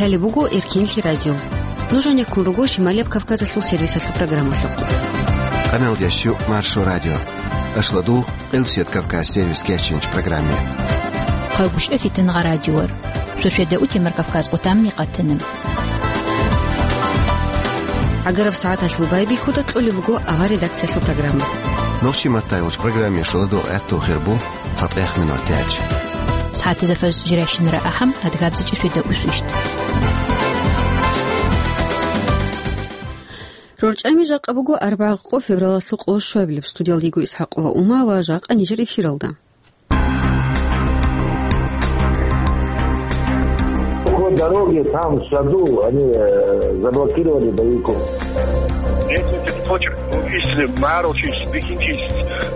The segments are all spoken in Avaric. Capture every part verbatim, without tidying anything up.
Гьале буго Эркинлъи радио. Нуж гьанеккун руго Шималияб Кавказалъул сервисалъул программалъухъ. Къаналдящу Маршо радио. Ашладу Къилсият Кавказ сервис кечинч программе. Хъагушев Фитнагъа радиор. Шошеда утемар Кавказ къутамни къатана. ГӀагараб сагӀаталъул байбихьуда кьолеб буго авар редакциялъул программа. Нохчи маттайолч программе шуладу гӀатту хирбу. ЦатӀех минут тяч. СагӀатизафаз жирайщинара ахӀам, адгабзичӀи шведа усвищт. РорчӀами жакъа буго арбагъ къо февралалъул къоло щуабилеб. Студиялда йиго ИсхӀакъова Ума ва жакъа нижер эфиралда. По дороге там, в саду, они, э, заблокировали боевиков. Если ты хочешь, ну, если морочишь, бикинчишь,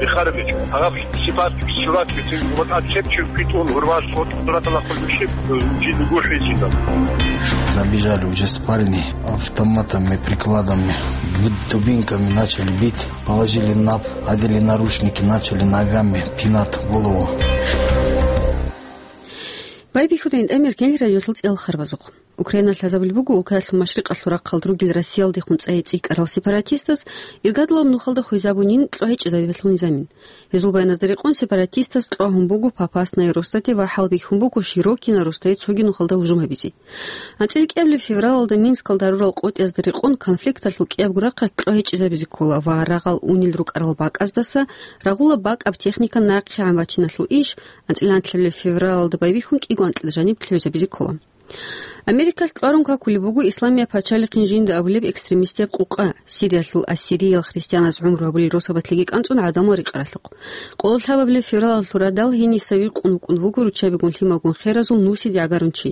и харбич, а сипат, силат, вот от чепчи питун, урваш, вот, брата, нахуй, вообще, э, жили гуши сидел. Забежали уже с парней, автоматами, прикладами, бит-, дубинками начали бить, положили на пол, одели наручники, начали ногами пинать голову. Байбихьуда гьитӀамир кенлъи радиолъул цӀиял харбазухъ. Украиналъ лъазабулеб буго улкаялъул машрикъалъул рахъалда ругел Россиялдехун цӀайи цӀикӀкӀарал сепаратистаз иргадулаб нухалда хвезабунин кьогьечӀезабиялъул низамин. Гьезул баяназда рекъон сепаратистаз кьвагьун буго Попасная Ростате ва хӀалбихьун буго Широкино Ростае цоги нухалда гьужум гьабизе. АнцӀила кӀиабилеб февралалда Минскалда гьарурал къотӀиязда рекъон конфликталъул кӀиябго рахъалъ кьогьечӀезабизе ккола ва рагъал унел рукӀарал бакӀаздаса рагъула бакӀаб техника нахъегӀан бачиналъул иш анцӀила анлъабилеб февралалда байбихьун кӀиго анкьида жаниб лъугӀизабизе ккола. Америкалъ кьварун какулеб буго Исламияб пачалихъин жинда абулеб экстремистияб къукъа, Сириялъул ассириял христианаз гӀумру гьабулел росабалъеги кӀанцӀун гӀадамал рекъаралъухъ. Къоло лъабабилеб февралалъул радал гьениса вихъун вукӀун вуго руччабигун лъималгун херазул нусиде гӀагарун чи.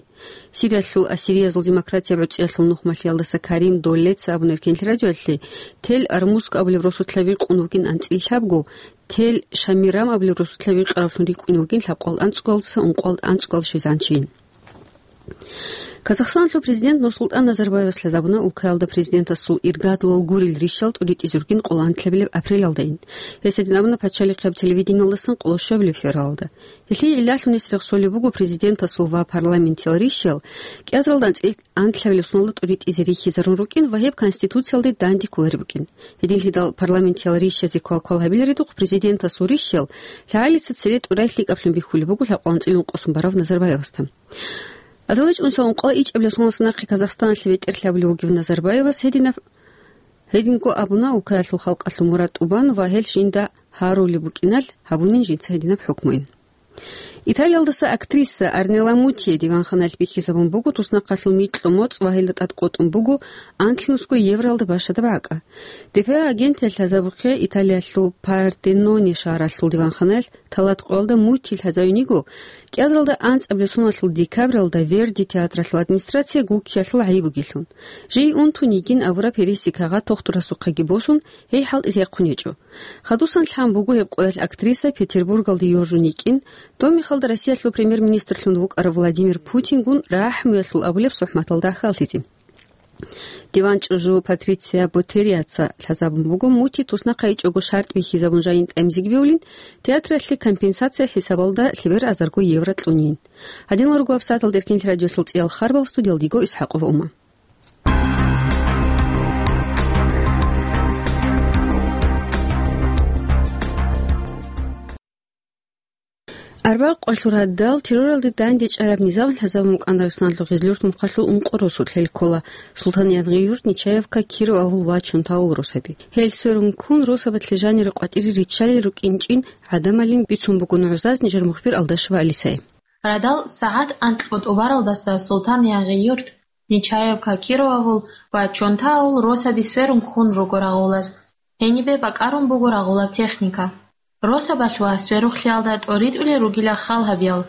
Сириялъул ассириязул демократияб гӀуцӀиялъул нухмалъиялдаса Карим Доллеца абунеб кенлъи радиоялъе, Тел Армуск абулеб росулъа вихъун вугин анцӀила лъабго, Тел Шамирам абулеб росулъа вихъаравлъун рикӀкӀунев вугин лъабкъоялда анцӀгоялдаса ункъоялда анцӀгоял щвезегӀан чи. Казахстаналъул президент Нурсултан Назарбаевас лъазабуна улкаялда президентасул иргадулал гурел рищал тӀуритӀизе ругин къоло анлъабилеб апрелалдайин. Гьес гьедин абуна пачалихъияб телевидениялдасан къоло щуабилеб февралалда. Гьелъие гӀиллалъун гьес рехсолеб буго президентасул ва парламентиял рищал кӀиазаралда анцӀила анлъабилеб соналда тӀуритӀизе рихьизарун рукӀин ва гьеб Конституциялде данде кколареб букӀин. Гьединлъидал парламентиял рищазе квалквал гьабиларедухъ президентасул рищал лъагӀалица цере тӀурай лъикӀаблъун бихьулеб буго лъабкъоялда анцӀила ункъосун барав Назарбаевасда. Азаличи унсал ункъоялда ичӀабилеб соналдаса нахъе Казахстаналъе бетӀер лъабулев вугев Назарбаевас гьединаб-, гьединго абуна улкаялъул халкъалъул мурад тӀубан ва гьел жинда гьарулеб букӀиналъ гьабунин жинца гьединаб хӀукмуян. Италиялдаса актриса Арнела Мутти диванханалъ бихьизабун буго туснахъалъул микьго моцӀ ва гьелда тӀад къотӀун буго анлънусго евроялда бащадаб гӀакӀа. Д П А агенталъ лъазабухъе Италиялъул Партеноне шагьаралъул диванханалъ талатӀкъоялда Мутти лъазавин йиго, кӀиазаралда анцӀабилеб соналъул декабралда Верди театралъул администрация гуккиялъул гӀайиб бугелъун. Жий унтун йигин абураб гьереси кагъат тухтурасухъеги босун, гьей хӀалтӀизе яхъун гьечӀо. Хадусан лъан буго гьеб къоялъ актриса Петербургалде йоржун йикӀин, доб мехалда Россиялъул премьер-министрлъун вукӀарав Владимир Путингун рахӀмуялъул абулеб сохӀматалда хьаллъизе. Диван чӀужу Патриция Ботериаца лъазабун буго Мутти туснахъайчӀого шартӀ бихьизабун жайин тӀамизеги бевлин, театралъе компенсация хӀисабалда лъебер азарго евро кьунин. Гьадинал руго абсатал деркин радиолъул цӀиял харбал, студиялда йиго ИсхӀакъова Ума. Арбакъ къвалъур гьадал терроралде данде чӀараб низам лъазабун букӀан Дагъистаналъул Гъизлюрт мухъалъул ункъо росулъ, гьел ккола Султан-Янгъи-Юрт, Нечаевка, Киров авул ва Чонтаул росаби. Гьел сверун ккун, росабалъе жанире къватӀире риччалел рукӀинчӀин гӀадамалин бицун буго нугӀзаз нижер мухбир Алдашева Алисая. Радал сагӀат анкьго тӀубаралдаса Султан-Янгъи-Юрт, Нечаевка, Киров авул ва Чонтаул росаби сверун ккун руго рагъулаз. Гьенибе бакӀарун буго рагъулаб техника. Росабалъ ва сверухълъиялда тӀоритӀулел ругила хал гьабиял.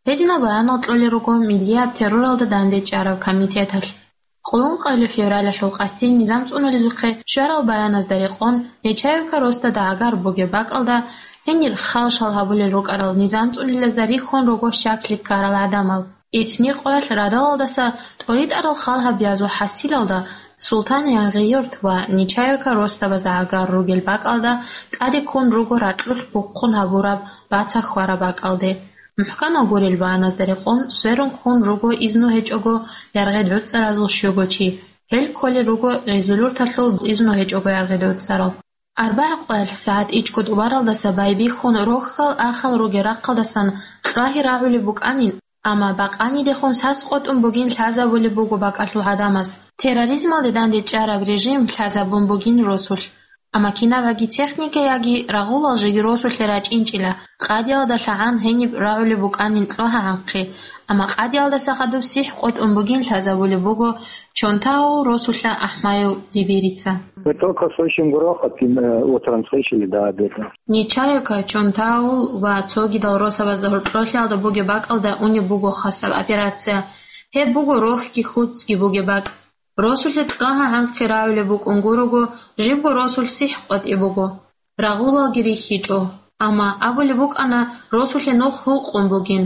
Гьединал баянал кьолел руго миллияб терроралда данде чӀараб комитеталъ. Къуллукъалъул февралалъул къаси низам цӀунулезухъе щварал баяназда рекъон, Нечаевка росда дагӀагар бугеб бакӀалда гьенир хал-шал гьабулел рукӀарал низам цӀунилезда рихьун руго щаклъи ккарал гӀадамал. Итни къоялъ радалалдаса тӀоритӀарал хал гьабиязул хӀасилалда Султан-Янгъи-Юрт ва Нечаевка росдабаза гӀагар ругел бакӀалда тӀаде ккун руго ракьулъ бухъун гьабураб бацахь хьвараб бакӀалде. МухӀканал гурел баяназда рекъон, сверун ккун руго изну гьечӀого яргъи гӀуцӀаразул щуго чи. Гьел кколел руго гъезулурталъул изну гьечӀого яргъи гӀуцӀарал. АрбагӀа къоялъ сагӀат ичӀго тӀубаралдаса байбихьун рохьал ахал ругел рахъалдасан кьвагьи рагӀулеб букӀанин, амма бакъанидехун сас къотӀун бугин лъазабулеб буго бакӀалъул гӀадамаз. Терроризмалде дандечӀараб режим лъазабун бугин росулъ. Амма кинабгӀаги техника яги рагъулал жеги росулъе рачӀинчӀила, къадиялда лъагӀан гьениб рагӀулеб букӀанин кьвагьа гӀанхъи, амма къадиялдаса хадуб сихӀ къотӀун бугин лъазабулеб буго Чонтау росулъа АхӀмаев Дибирица. Мы только слышим грохот и, э, утром слышали до обеда. Нечаевка, Чонтаул ва цогидал росабазда гьоркьорлъиялда бугеб бакӀалда унеб буго хасаб операция. Гьеб буго рохьги хӀуцӀги бугеб бакӀ. Росулъе кьвагьа гӀанхъи рагӀулеб букӀун гурого, жибго росулъ сихӀ къотӀи буго. Рагъулалги рихьичӀо. Амма абулеб букӀана, росулъе нух гьукъун бугин.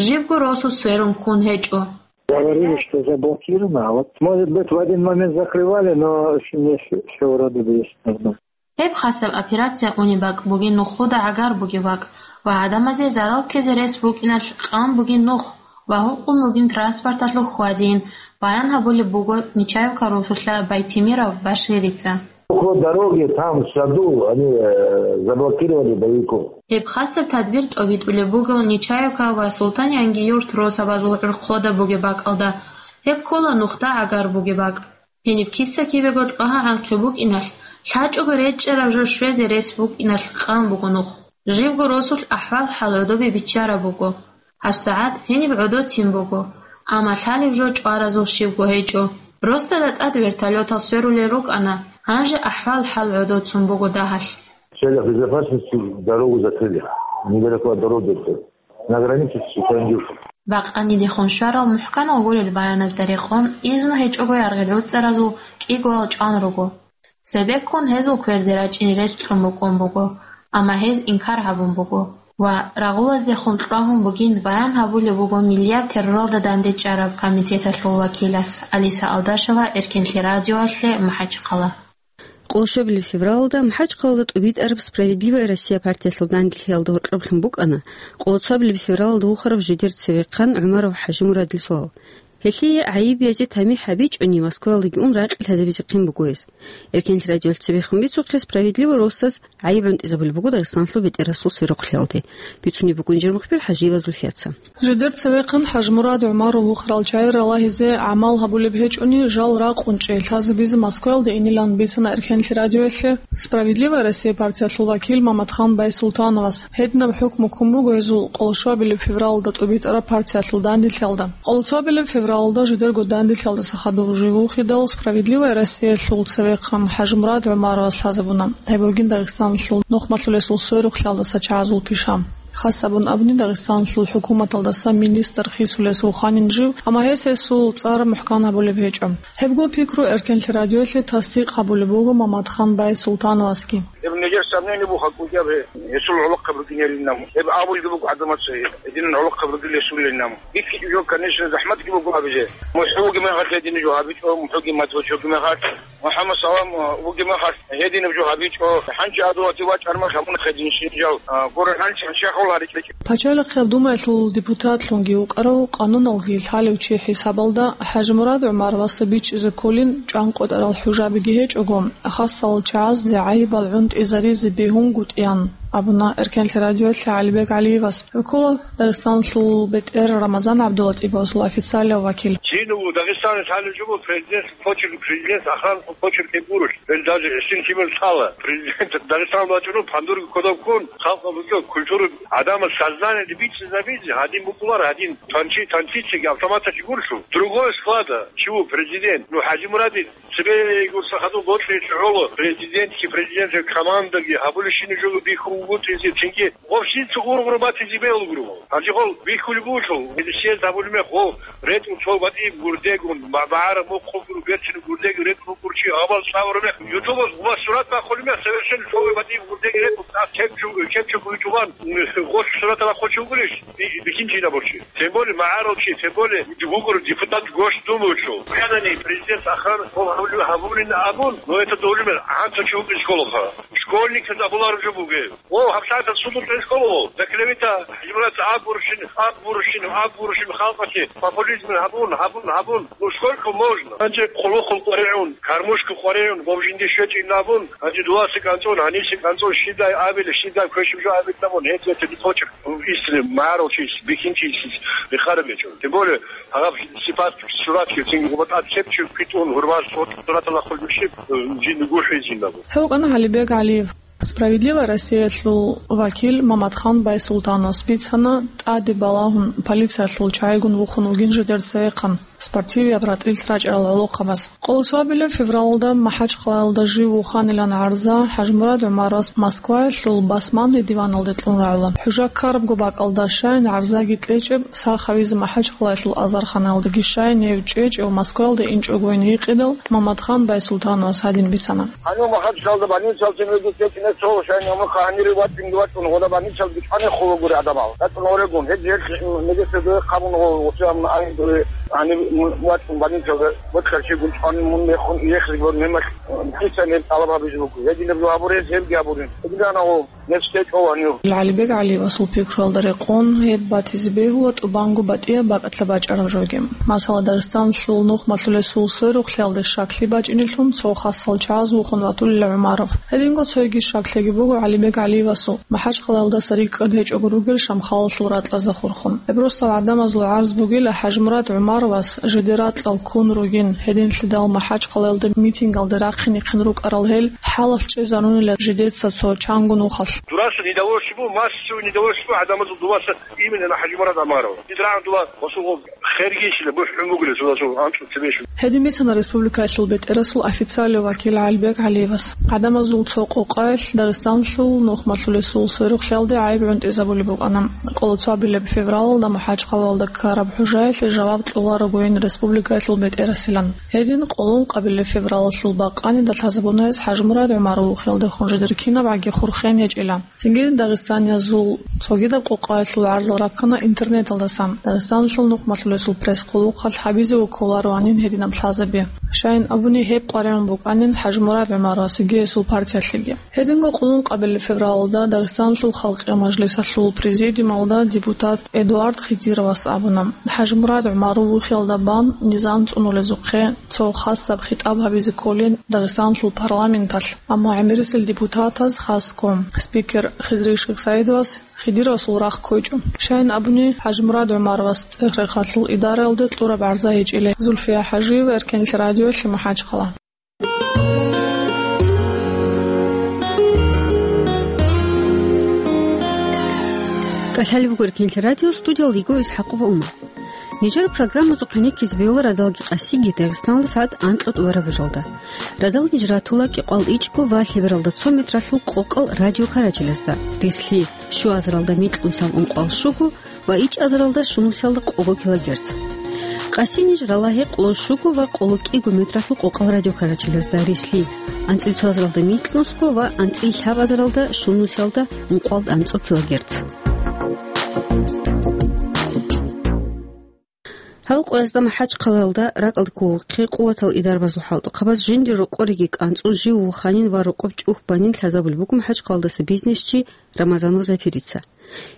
Жибго росу сверун ккун гьечӀо. Говорили, что заблокировано, а вот, может быть, в один момент закрывали, но с-, не с-, всё вроде бы есть нормально. Гьеб хасаб операция унеб бакӀ бугин нухлуда гӀагар бугеб бакӀ ва гӀадамазе зарал ккезе рес букӀиналъ къан бугин нух ва гьукъун бугин транспорталъул хьвадин, баян гьабулеб буго Нечаевка росулъа Байтимиров Баширица. Около дороги, там, в саду, они, э, заблокировали боевиков. Гьеб хасаб тадбир тӀобитӀулеб буго Нечаевка ва Султан-Янгиюрт росабазул гӀурхъода бугеб бакӀалда. Гьеб ккола нухда гӀагар бугеб бакӀ. Гьениб киса-кибего кьвагьа гӀанхъи букӀиналъ, лъачӀого речӀчӀараб жо щвезе рес букӀиналъ къан буго нух. Жибго росулъ ахӀвал-хӀал гӀодобе биччараб буго. ГьабсагӀат гьениб гӀодоцин буго, амма лъалеб жо чӀваразул щибго гьечӀо. Росдада тӀад вертолётал сверулел рукӀана, гьанже ахӀвал-хӀал гӀодоцун буго дагьалъ. В целях безопасности дорогу закрыли. Недалеко от дороги это. На границе с Украиной. Бакъанидехун щварал мухӀканал гурел баяназда рекъон, изну гьечӀого яргъи гӀуцӀаразул кӀигоял чӀван руго. Цебеккун гьезул кверде рачӀине рес кьун букӀун буго, амма гьез инкар гьабун буго ва рагъулаздехун кьвагьун бугин баян гьабулеб буго Миллияб терроралда дандечӀараб комитеталъул вакилас Алиса Алдашева Эркенлъи радиоялъе МахӀачхъала. Къоло щуабилеб февралалда МахӀачхъалалда тӀубитӀараб «Справедливая Россия» партиялъул данделъиялда гьоркьоблъун букӀана къоло цоабилеб февралалда вухарав жидер цевехъан ГӀумаров ХӀажимурадил суал. Гьелъие гӀайиб язе тамихӀ гьабичӀони, Москваялдаги ун ракъи лъазабизе хъин буго гьес. Эркенлъи радиоялъ цебехун бицухъе «Справедливо» росас гӀайиб гӀунтӀизабулеб буго Дагъистаналъул бетӀерасул сверухълъиялде. Бицунеб бугун жер мухбир ХӀажиева Зульфияца. Жидер цевехъан ХӀажмурад ГӀумаров вухарал чагӀи ралагьизе гӀамал гьабулеб гьечӀони, жал ракъун чӀей лъазабизе Москваялде инилан бицана Эркенлъи радиоялъе «Справедливая Россия» партиялъул вакил Мамадхан Байсултановас. Гьединаб хӀукму ккун буго гьезул къоло щуабилеб февралалда тӀубитӀараб партиялъул данделъиялда. Къоло цоабилеб февралалда жидерго данделъиялдаса хадур жив вухидал, «Справедливая Россиялъул» цевехъан ХӀажмурад ГӀумаровас лъазабуна. Гьеб бугин Дагъистаналъул нухмалъулесул сверухълъиялдаса чагӀазул пиша. Хас абун абуни, Дагъистаналъул хӀукуматалдаса министр хисулес вуханин жив, амма гьес гьесул цӀар мухӀкан гьабулеб гьечӀо. Гьебго пикру Эркенлъи радиоялъе тасдикъ гьабулеб буго Мамадхан Байсултановасги. Гьеб нижер сомнение буго, гьаб кӀудияб гьесул гӀолохъаб ругин гьелин абун. Гьеб абулги буго гӀадамаца, гьединан гӀолохъаб ругин гьесулин абун. БихьичӀеб жо, конечно, захӀматги буго гьабизе. МухӀканги мехалъ гьединаб жо гьабичӀо, мухӀканги мацӀ бачунги мехалъ. МухӀаммад Салам вугеб мехалъ гьединаб жо гьабичӀо, гьанже гӀадамазе вачӀараб мехалъ гьабуна гьедин жал, а, гурелъул гьанже гьанже хъул гьаричӀо. Пачалихъ Гьаб Думаялъул депутатлъунги вукӀарав, къануналги лъалев чи хӀисабалда, ХӀажмурад ГӀумаровасда бичӀчӀизе кколин чӀван къотӀарал хӀужабиги гьечӀого, хасал чагӀазде гӀайибал гӀунтӀизаризе бегьунгутӀиан, абуна Эркенлъи радиоялъе ГӀалибег ГӀалиевас. ГӀуккула Дагъистаналъул бетӀер Рамазан ГӀабдулатӀибовасул официалияв вакил. Жинав Дагъистаналъ гьалеб жо буго, президент почерк, президент охранный почерк гьеб гурищ. Гьел даже гьесин лъимер лъала. Президент Дагъистан вачӀун, пандурги кодоб ккун, халкъ букӀун, культура, гӀадамаз сознание бичӀчӀизабизе, гьадин букӀулар, гьадин танчи, танчицаги автоматачи гурлъу. Другой склада, чего президент? Ну, ХӀажимурадил цебе гурса хадуб бокьичӀо гӀоло, президентги, президентил командаги, гьабулебщинаб жо бихьун вугутӀизе, цинги гъоб щинца гъургъур батизе бегьулгуро. Гьанже гъол бихьулеб бугелъул, гьедин съезд гьабулеб мех, гъол ретӀун цо батӀияб гурдегун, ма-, магӀараб мухъ хъубгуру берцин гурдеги ретӀун гурчи гьабал цӀалараб мех, ютубалъ гъубал сурат бахъулеб мех, совершенно цо батӀияб гурдеги ретӀун, а кепчу-, кепчу гурчӀулан, гъош сурат бахъулчи вугулищ, би-, бикинчи набурчи. Тем более магӀарулчи, тем более вугур депутат Госдумаялъул. Гьанани президент ахъан гъол гьабулеб гьабулин абун, но это долумер, гьанцӀа чи вукӀин школалда. Школьниказ абулареб жо бугеб. О, гьабсагӀаталъ судул тӀехьоло. За клевета, ХӀажимурад, абурщин, абурщин, абурщин халкъалъе популизм гьабун, гьабун, гьабун. Ну, сколько можно? Гьанже хъулухъун къваригӀун, кармушка къваригӀун, гъоб жинди щвечӀин абун, гьанже дуласе кӀанцӀун, гьанисе кӀанцӀун, щидай абиле, щидай квешаб жо абилабун, гьеб бетӀер битӀбачӀеб. Ислъи магӀарулчияс, бихьинчиясис рехараб гьечӀо. Тем более, гьаб сипат, суратги цинги гъоба тӀад лъеб чи квитӀун, гьурмал сураталда хъулбищи, жинда гурхӀизинабу. Гьев вукӀана ГӀалибек ГӀалиев. «Справедливая Россия»-лъул вакил Мамадхан Байсултановас бицана, тӀаде балагьун полициялъул чагӀигун вухун вугин жидер цевехъан спортивияб ратӀлилъ рачӀарал гӀолохъабаз. Къолоцабилеб февралалда МахӀачхъалаялда жив вуханилан гӀарза ХӀажмурад ГӀумаровас Москваялъул Басманный диваналде кьун рагӀула. ХӀужа ккарабго бакӀалда щайин гӀарзаги кьечӀеб, сах гьавизе МахӀачхъалаялъул азарханаялдаги щайин гьев чӀечӀев Москваялде инчӀогойин гьикъидал, Мамадхан Байсултановас гьадин бицана. Гьанив МахӀачхъалаялда больницалъе нужеде течӀине цо, щайин гьанир гьанире вачӀунги вачӀун, гъода больницалда бичӀване хъулагури гӀадамал. РачӀун орегун, гьез гьелъ медицинасда хъабун гъо, гъосие ам-, ай дуе гьанир м-, вачӀун больницалда вачӀарщигун чӀван мун мехун иехлъи гьор мемалъ, э, хъисан гьеб тӀалаб гьабизе буго. Гьединаб жо гьабуре, гьебги гьабурин. Гьединана гъо. ГӀалибек ГӀалиевасул пикруялда рекъон, гьеб батизе бегьула тӀубанго батӀияб бакӀалъа бачӀараб жоги. Масала, Дагъистаналъул нухмалъулесул сверухълъиялде щаклъи бачӀинелъун цо хасал чагӀаз вухун ватулила ГӀумаров. Гьединго цойги щаклъиги буго ГӀалибек ГӀалиевасул, МахӀачхъалаялдаса рикӀкӀад гьечӀого ругел Шамхалалъул ракьазда хурхун. Гьеб росдал гӀадамазул гӀарз бугила ХӀажмурад ГӀумаровас жидер ракьал ккун ругин, гьединлъидал МахӀачхъалаялда митингалде рахъинихъин рукӀарал гьел хӀалалъ чӀезарунила жидеца цо чанго нухалъ. Дураса недовольство, массовое недовольство гӀадамазул дуваса именно на ХӀажимурад ГӀумаров. Дид рагӀун дова гъосул гъоб хергейщина бухӀун бугила цо-, цо анцӀго цебе щун. Гьедин бицана республикаялъул бетӀерасул официалив вакил ГӀалибек ГӀалиевас. ГӀадамазул цо къокъаялъ Дагъистаналъул нухмалъулесул сверухълъиялде гӀайиб гӀунтӀизабулеб букӀана. Къолоцабилеб февралалда МахӀачхъалаялда ккараб хӀужаялъе жаваб кьоларогойин республикаялъул бетӀерасилан. Гьедин къолонкъабилеб февралалъул бакъанида лъазабуна гьес ХӀажмурад ГӀумаров вухиялдехун жидер кинабгӀаги хурхен гьечӀила. Цинги дагъистаниязул цогидаб къокъаялъул гӀарзал раккана интернеталдасан. Дагъистаналъул нухмалъулесул пресс-хъулухъалъ гьабизе кколароанин гьединаб лъазаби. Щайин абуни, гьеб къваригӀун букӀанин ХӀажмурад ГӀумаровасги гьесул партиялъеги. Гьединго къулун къабилеб февралалда Дагъистаналъул Халкъиял Мажлисалъул президиумалда депутат Эдуард Хидировас абуна, ХӀажмурад ГӀумаров вухиялда бан низам цӀунулезухъе цо хасаб хитӀаб гьабизе кколин Дагъистаналъул парламенталъ, амма гӀемерисел депутатаз, хасго спикер Хизри Шихсаидовас, Хидировасул рахъ ккойчӀо. Щайин абуни, ХӀажмурад ГӀумаровас ЦӀехрехалъул идараялде кьураб гӀарза гьечӀила. Зульфия ХӀажиева, Эркенлъи радиолъи, МахӀачхъала. КӀалъалеб буго Эркенлъи радио, студиялда йиго ИсхӀакъова Умар. Нижер программазухъе нихьизе бегьула радалги къасиги Дагъистаналда сагӀат анкьа тӀубараб бажалда. Радал ниж ратула кӀикъоялда ичӀго ва лъебералда цо метралъул къокъал радиокарачелазда, рислъи, щуазаралда микьнусиялда ункъоялда щуго ва ичӀазаралда щунусиялда къого килогерц. Къаси ниж рала гьекъолда щуго ва къоло кӀиго метралъул къокъал радиокарачелазда, рислъи, анцӀила цоазаралда микьнусго ва анцӀила лъабазаралда щунусиялда ункъоялда анцӀго килогерц. Гьал къоязда МахӀачхъалаялда ракӀалде кколухъе къуватал идарабазул хӀалтӀухъабаз жиндир рокъориги кӀанцӀун жив вуханин ва рокъоб чӀухӀбанин лъазабулеб буго МахӀачхъалаялдаса бизнесчи Рамазанов Запирица.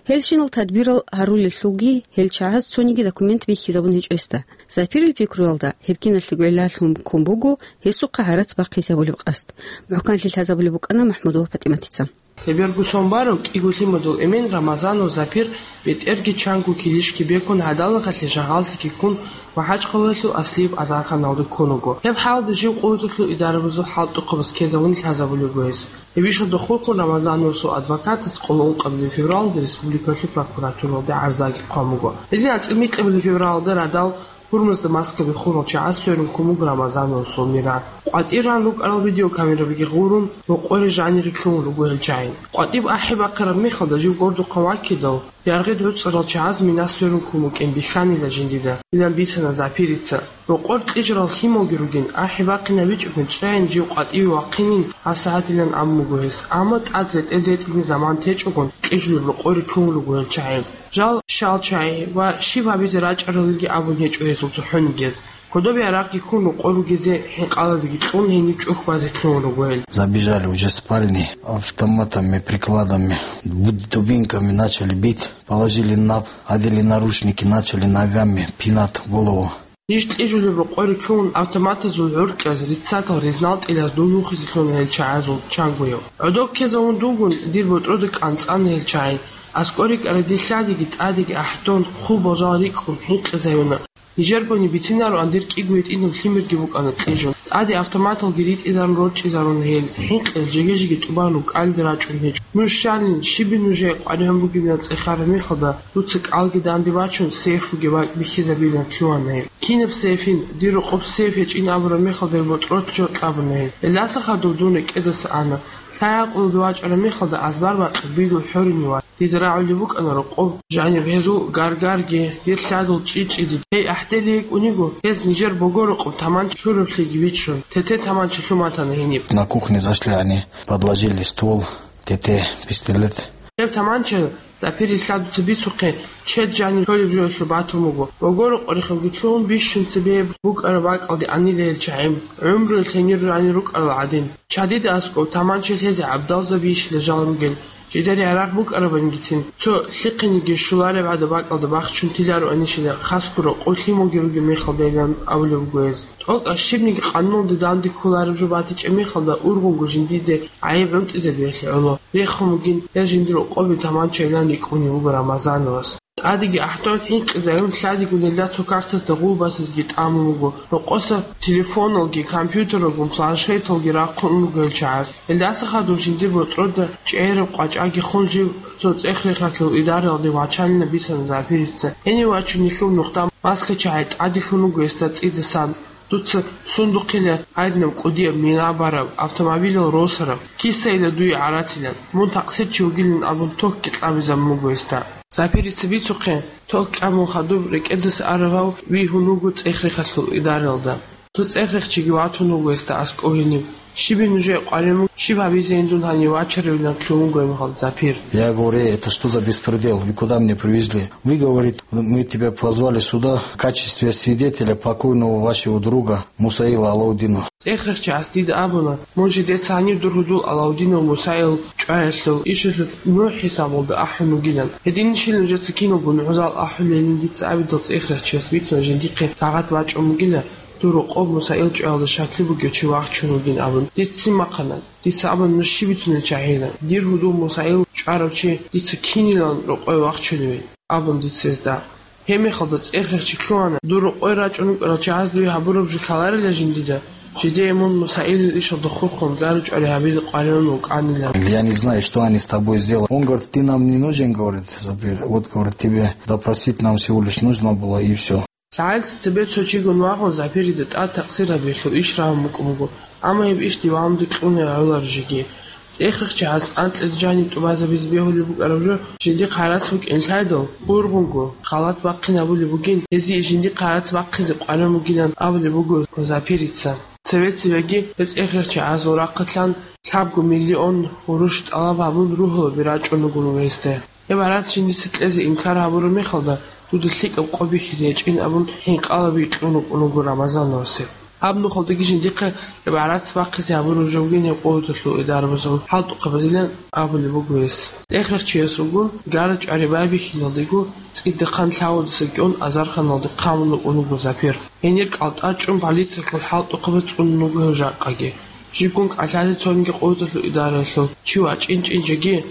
Гьелщинал тадбирал гьарулелъулги гьел чагӀаз цониги документ бихьизабун гьечӀо гьесда. Запирил пикруялда, гьеб киналъего гӀиллалъун ккун буго гьесухъа гӀарац бахъизе гьабулеб къасд. МухӀканлъи лъазабулеб букӀана МахӀмудова ПатӀиматица. Лъеберго сон барав кӀиго лъимадул эмен Рамазанов Запир бетӀерги чанго килищги бекун, гӀадалахъалъе жагьаллъиги ккун, МахӀачхъалаялъул аслияб азарханалде ккун вуго. Гьеб хӀалда жив къуваталъул идарабазул хӀалтӀухъабаз ккезавун лъазабулеб буго гьес. Гьеб ишалда хурхун Рамазановасул адвокатас къоло ункъабилеб февралалда республикалъул прокуратуралде гӀарзаги хъван буго. Гьедин анцӀила микьабилеб февралалда радал гьурмазда маскаби хурал чагӀаз сверун ккун буго Рамазановасул мира. КъватӀир ран рукӀарал видеокамерабиги гъурун, рокъоре жанире ккун руго гьел чагӀи. КъватӀиб ахӀи бахъараб мехалда жив гордухъан ваккидал, яргъи гӀуцӀарал чагӀаз мина сверун ккун букӀин бихьанила жиндида, илан бицана Запирица. Рокъор кьижарал лъималги ругин, ахӀи бахъинабичӀого чӀайин жив къватӀиве вахъинин гьабсагӀатилан абун буго гьес, амма тӀад ретӀел-ретӀилги заман течӀогон кьижулеб рокъоре ккун руго гьел чагӀи. Жал щал чагӀи ва щиб гьабизе рачӀаралилги абун гьечӀо гьезул цохӀонигияз. Гьудоби гьарахъги ккун рокъор ругезе хӀинкъалабиги кьун гьениб чӀухь базе лъугьун руго гьел. Забежали уже в спальни, автоматами, прикладами, буд-, дубинками начали бить, положили на пол, одели наручники, начали ногами пинать голову. Ниж кьижулеб рокъоре ккун автоматазул гӀуркьаз, риццатал, резинал тӀилаз дун вухизе лъуна гьел чагӀазул чангояв. ГӀодов ккезавун дугун дир ботӀрода кӀанцӀана гьел чагӀи. АскӀор рикӀкӀара дир лъадиги тӀадиги ахӀдон, хъубал жал рикӀкӀун хӀинкъизаюна. Нижергони бицинароан дир кӀиго гьитӀинаб лъимерги букӀана кьижун. ТӀаде автоматалги ритӀизарун рорчӀизаруна гьел, хӀинкъиялъ жеги-жеги тӀубан рукӀалде рачӀун гьечӀо. Нуж щалин, щибин нужее къваригӀун бугебилан цӀехараб мехалда, дуца кӀалги данде бачун, сейф бугеб бакӀ бихьизабилан лъугьана гьеб. Кинаб сейфин, дир рокъоб сейф гьечӀин абураб мехалда гьеб ботӀрод жо кьабуна гьез. Гьелдаса хадув дун рекӀедаса ана. Лъай гӀакълуде вачӀараб мехалда азбар бакъи бигул хӀорине вац. Дида рагӀулеб букӀана рокъоб жаниб гьезул гаргарги, дир лъадул чӀи-чӀиди. Гьей ахӀдели йикӀун йиго, гьез нижер богорокъоб таманча лъураблъиги бичӀчӀун, тете таманча лъун батана гьениб. На кухне зашли они, подложили ствол, тете, пистолет. Гьеб таманча Запири лъадуца бицухъе, чед жанив лъолеб жоялъул батун буго. Богорокъорихъалги лъугьун бищун цебе букӀараб бакӀалде анила гьел чагӀи, гӀумруялъ гьенир жанир рукӀарал гӀадин. Чадида аскӀов таманча лъезе гӀабдалзабийищила жал ругел, жидер ярагъ букӀарабангицин, цо лъихъениги щулареб гӀадаб бакӀалда бахчун тилароанищила, хасго рокъов лъималги ругеб мехалдайилан абулеб буго гьез. ТӀокӀаб щибниги къануналде данде кколареб жо батичӀеб мехалда ургъунго жиндиде гӀайиб гӀунтӀизабиялъе гӀоло. Рехун бугин, гьел жиндир рокъобе таманчайилан рикӀкӀунев вуго Рамазановас. ТӀадеги ахӀдон хӀинкъизаюн лъадигун гьелда цо картасда гъулбасизги тӀамун буго. Рокъоса телефоналги, компьютералгун, планшеталги рахъун ун руго гьел чагӀаз. Гьелдаса хадуб жиндир ботӀрода чӀегӀераб къвачӀаги хун жив цо цӀех-рехалъул идараялде вачанила бицана Запирица. Гьенив вачун нилъул нухда маскачагӀи тӀаделъун руго гьесда цӀидасан. Дуца сундухъила гьадинаб кӀудияб мина бараб, автомобилал росараб, кисайила дуе гӀарацилан, мун такъсирчи вугилан абун тохги кьабизабун буго гьесда. Запирица бицухъе, тох кьабун хадуб рекӀедаса аравав вигьун вуго цӀех-рехалъул идараялда. Цо цӀех-рехчиги ватун вуго гьесда аскӀов гьениб. Щибин нужее къваригӀун буго, щиб гьабизейин дун гьанив вачаревилан лъугьун буго гьеб мехалда Запир. Я говорю: «Это что за беспредел? Вы куда меня привезли?» Вы, говорит, мы тебя позвали сюда в качестве свидетеля покойного вашего друга Мусаила Алаудина. ЦӀех-рехчияс дида абуна, мун жидеца гьанив дур гьудул Алаудинов Мусаил чӀваялъул ишалъулъ нугӀ хӀисабалда ахӀун вугилан. Гьединищила нужеца киналго нугӀзал ахӀулелин дица абидал цӀех-рехчияс бицана жиндихъе кагъат бачӀун бугила, дур рокъоб Мусаил чӀваялда щаклъи бугев чи вахчун вугин абун. Дица ццин бахъана. Дица абуна, нуж щиб бицунел чагӀила. Дир гьудул Мусаил чӀварав чи дица кинилан рокъове вахчуневин, абун дица гьезда. Гьеб мехалда цӀех-рехчи лъугьана, дур рокъове рачӀун рукӀарал чагӀаз дуе гьабураб жо лъаларила жиндида, жидее мун Мусаилил ишалда хурхун зару чӀвари гьабизе къваригӀун вукӀанилан. Я не знаю, что они с тобой сделали. Он говорит: «Ты нам не нужен», говорит, Запир. Вот, говорит, тебе допросить нам всего лишь нужно было, и всё. ЛъагӀалица цебе цо чигун вагъун Запирида тӀад такъсир гьабиялъул иш рагьун букӀун буго, амма гьеб иш диванде кьуна гӀолар жеги. ЦӀех-рехчияс анкьида жаниб тӀубазабизе бегьулеб букӀараб жо жиндихъ гӀарац букӀин лъайдал, ургъунго, халат бахъин гьабулеб бугин, гьезие жиндихъ гӀарац бахъизе къваригӀун бугилан абулеб буго Запирица. Цеве-цевеги гьеб цӀех-рехчиясул рахъалъан лъабго миллион гъурущ тӀалаб гьабун ругьалаби рачӀун руго гьесда. Гьеб гӀарац жиндица кьезе инкар гьабураб мехалда, дуда лъикӀаб къо бихьизе гьечӀин абун, хӀинкъалаби кьун рукӀун руго Рамазановасе. Гьаб нухалдаги жиндихъе гьеб гӀарац бахъизе гьабураб жо бугин гьеб къуваталъул идарабазул хӀалтӀухъабазилан абулеб буго гьес. ЦӀех-рехчиясулгун гара чӀвари байбихьизалдего цӀидахъан лъавудаса кӀун азарханалде хъамун рукӀун руго Запир. Гьенир кӀалтӀа чӀун, полициялъул хӀалтӀухъабаз цӀунун руго гьев жакъаги. Жибгун кӀалъазе цониги къуваталъул идараялъул чи вачӀинчӀин жеги,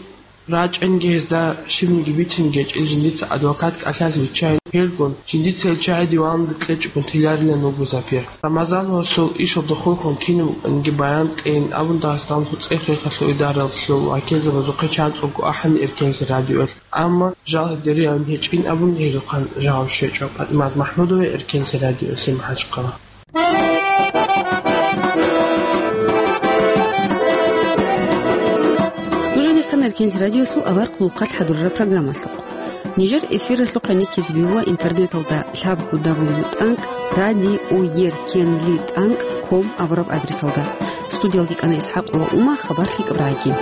рачӀинги гьезда щибниги бицинги гьечӀин жиндица адвокат кӀалъазе виччайин, гьелгун жиндица гьел чагӀи диванде кьечӀогун теларилан вуго Запир. Рамазановасул ишалда хурхун кинаб букӀаниги баян кьейин абун Дагъистаналъул цӀех-рехалъул идаралъул вакилзабазухъе чанцӀулго ахӀана Эркенлъи радиоялъ, амма жал гьелде ригӀун гьечӀин абун гьезухъан жаваб щвечӀо. ПатӀимат МахӀмудова, Эркенлъи радиоялъе, МахӀачхъала. Нуж гьанир ккана Эркенлъи радиоялъул авар хъулухъалъ хӀадурараб программалъухъ. Нижер эфиралъухъ гӀенеккизе бегьула интернеталда лъабго дабл ю тӀанкӀ радио еркенлъи тӀанкӀ ком абураб адресалда. Студиялда ккана ИсхӀакъова Ума, хабар лъикӀаб рагӀаги.